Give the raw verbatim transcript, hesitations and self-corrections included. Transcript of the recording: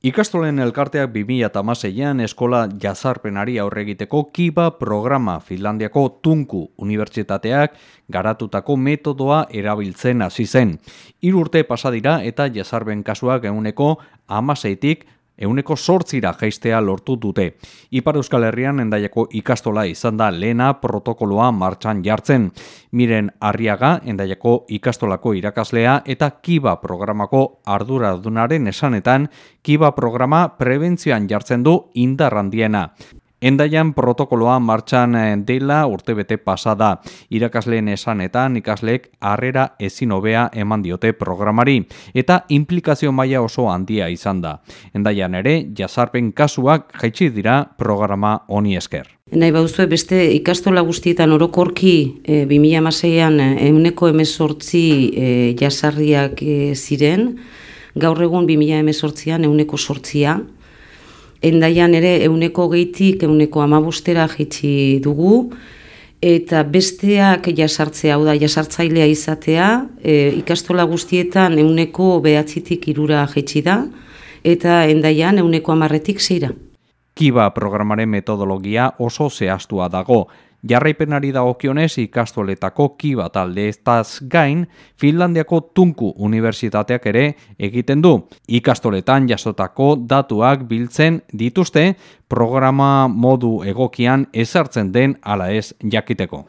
Ikastolen elkarteak bi mila hamaseian eskola jazarpenari aurre egiteko Kiva programa Finlandiako Turku Unibertsitateak garatutako metodoa erabiltzen hasi zen. Hiru urte pasa dira eta jazarpen kasuak ehuneko hamaseitik ehuneko zortzira jaistea lortu dute. Ipar Euskal Herrian Hendaiako ikastola izan da lehena protokoloa martxan jartzen. Miren Arriaga, Hendaiako ikastolako irakaslea eta Kiva programako arduradunaren esanetan, Kiva programa prebentzioan jartzen du indar handiena. Hendaian protokoloa martxan dela urtebete pasada. Irakasleen esanetan ikasleek harrera ezin hobea eman diote programari eta inplikazio maila oso handia izan da. Hendaian ere jazarpen kasuak jaitsi dira programa honi esker. Nahi bauzue beste ikastola guztietan orokorki e, bi mila hamaseian ehuneko hemezortzi e, jazarriak e, ziren, gaur egun bi mila hemezortzian ehuneko zortzia. Hendaian ere ehuneko hogeitik ehuneko hamabostera jaitsi dugu, eta besteak jasartzea, hau da jasartzailea izatea, e, ikastola guztietan ehuneko behatzitik hirura jaitsi da, eta Hendaian ehuneko hamarretik seira. Kiva programaren metodologia oso zehaztua dago. Jarraipenari dagokionez ikastoletako Kiva talde eztaz gain, Finlandiako Turku Unibertsitateak ere egiten du. Ikastoletan jasotako datuak biltzen dituzte programa modu egokian ezartzen den ala ez jakiteko.